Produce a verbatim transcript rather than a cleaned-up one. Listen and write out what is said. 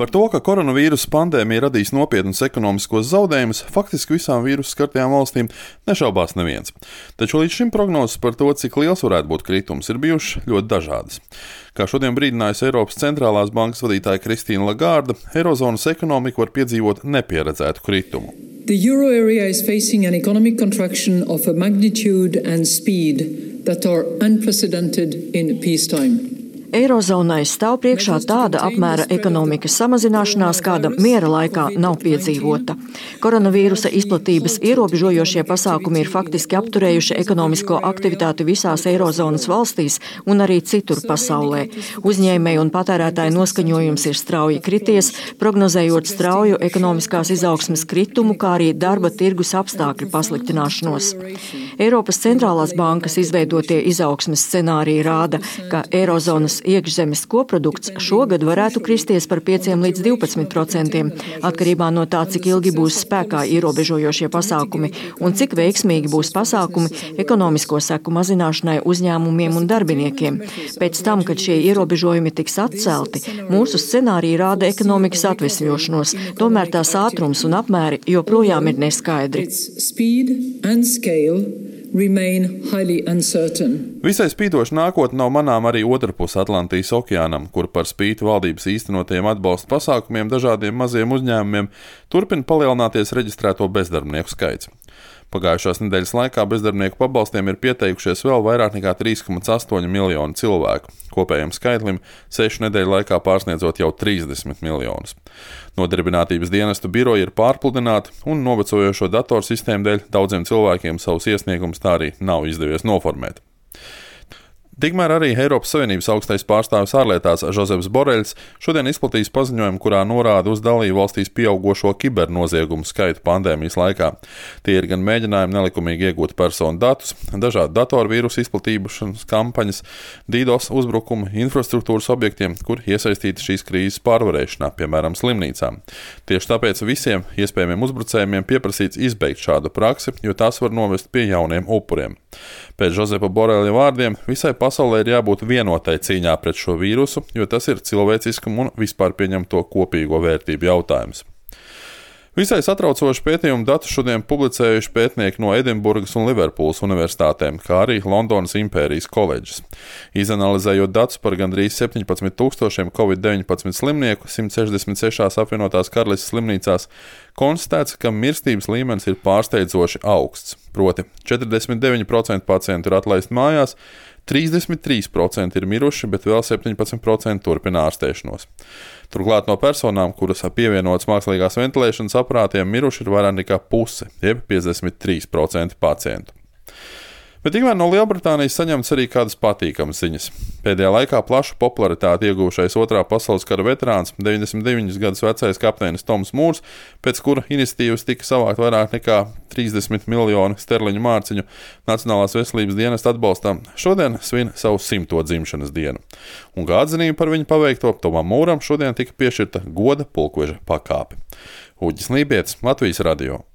Par to, ka koronavīrusa pandēmija radīs nopietnus ekonomiskos zaudējumus, faktiski visām vīrusu skartajām valstīm nešaubās neviens. Taču līdz šim prognozes par to, cik liels varētu būt kritums, ir bijušas ļoti dažādas. Kā šodien brīdinājusi Eiropas centrālās bankas vadītāja Kristīna Lagarde, Eirozonas ekonomika var piedzīvot nepieredzētu kritumu. The euro area is facing an economic contraction of a magnitude and speed that are unprecedented in peacetime. Eirozonai stāv priekšā tāda apmēra ekonomikas samazināšanās, kāda miera laikā nav piedzīvota. Koronavīrusa izplatības ierobežojošie pasākumi ir faktiski apturējuši ekonomisko aktivitāti visās Eirozonas valstīs un arī citur pasaulē. Uzņēmēju un patērētāju noskaņojums ir strauji krities, prognozējot strauju ekonomiskās izaugsmes kritumu, kā arī darba tirgus apstākļu pasliktināšanos. Eiropas centrālās bankas izveidotie izaugsmes scenāriji rāda, ka Eirozonas iekšzemes koprodukts šogad varētu kristies par pieciem līdz divpadsmit procentiem, atkarībā no tā, cik ilgi būs spēkā ierobežojošie pasākumi un cik veiksmīgi būs pasākumi ekonomisko seku mazināšanai uzņēmumiem un darbiniekiem. Pēc tam, kad šie ierobežojumi tiks atcelti, mūsu scenāriji rāda ekonomikas atvesļošanos, tomēr tās ātrums un apmēri joprojām ir neskaidri. Visai spīdoša nākotne nav manām arī otrpus Atlantijas okeānam, kur par spīti valdības īstenotajiem atbalsta pasākumiem dažādiem maziem uzņēmumiem turpina palielināties reģistrēto bezdarbnieku skaits. Pagājušās nedēļas laikā bezdarbnieku pabalstiem ir pieteikušies vēl vairāk nekā trīs komats astoņi miljoni cilvēku, kopējiem skaitlim sešu nedēļu laikā pārsniedzot jau trīsdesmit miljonus. Nodarbinātības dienestu biroji ir pārpludināti un novecojošo datorsistēmu dēļ daudziem cilvēkiem savus iesniegumus tā arī nav izdevies noformēt. Tikmēr arī Eiropas Savienības augstais pārstāvis ārlietās Žozeps Boreļs šodien izplatījis paziņojumu, kurā norāda uz dalību valstīs pieaugošo kibernoziegumu skaitu pandēmijas laikā. Tie ir gan mēģinājumi nelikumīgi iegūt personu datus, dažādu datorvīrusu izplatīšanas kampaņas, DDoS uzbrukumu infrastruktūras objektiem, kur iesaistīti šīs krīzes pārvarēšanā, piemēram, slimnīcām. Tieši tāpēc visiem iespējamiem uzbrucējiem pieprasīts izbeigt šādu praksi, jo tās var novest pie jauniem upuriem. Pēc Žozepa Boreļa vārdiem visai pasaulē ir jābūt vienotai cīņā pret šo vīrusu, jo tas ir cilvēciskuma un vispār pieņemto kopīgo vērtību jautājums. Visai satraucoši pētījumu datus šodien publicējuši pētnieki no Edinburgas un Liverpūles universitātēm, kā arī Londonas Impērijas koledžas. Izanalizējot datus par gandrīz septiņpadsmit tūkstošiem covid deviņpadsmit slimnieku simt sešdesmit sešās apvienotās karalistes slimnīcās, konstatēts, ka mirstības līmenis ir pārsteidzoši augsts, proti četrdesmit deviņi procenti pacientu ir atlaisti mājās, trīsdesmit trīs procenti ir miruši, bet vēl septiņpadsmit procenti turpina ārstēšanos. Turklāt no personām, kuras pievienotas mākslīgās ventilēšanas aparātiem, miruši ir vairāk nekā puse, jeb piecdesmit trīs procenti pacientu. Bet tikmēr no Lielbritānijas saņemts arī kādas patīkamas ziņas. Pēdējā laikā plašu popularitāti ieguvušais otrā pasaules kara veterāns, deviņdesmit deviņus gadus vecais kapteinis Toms Mūrs, pēc kura iniciatīvas tika savākt vairāk nekā trīsdesmit miljonu sterliņu mārciņu Nacionālās veselības dienesta atbalstam, šodien svin savu simto dzimšanas dienu. Un kā atzinība par viņu paveikto, Tomam Mūram šodien tika piešķirta goda pulkveža pakāpe. Uģis Lībietis, Latvijas radio.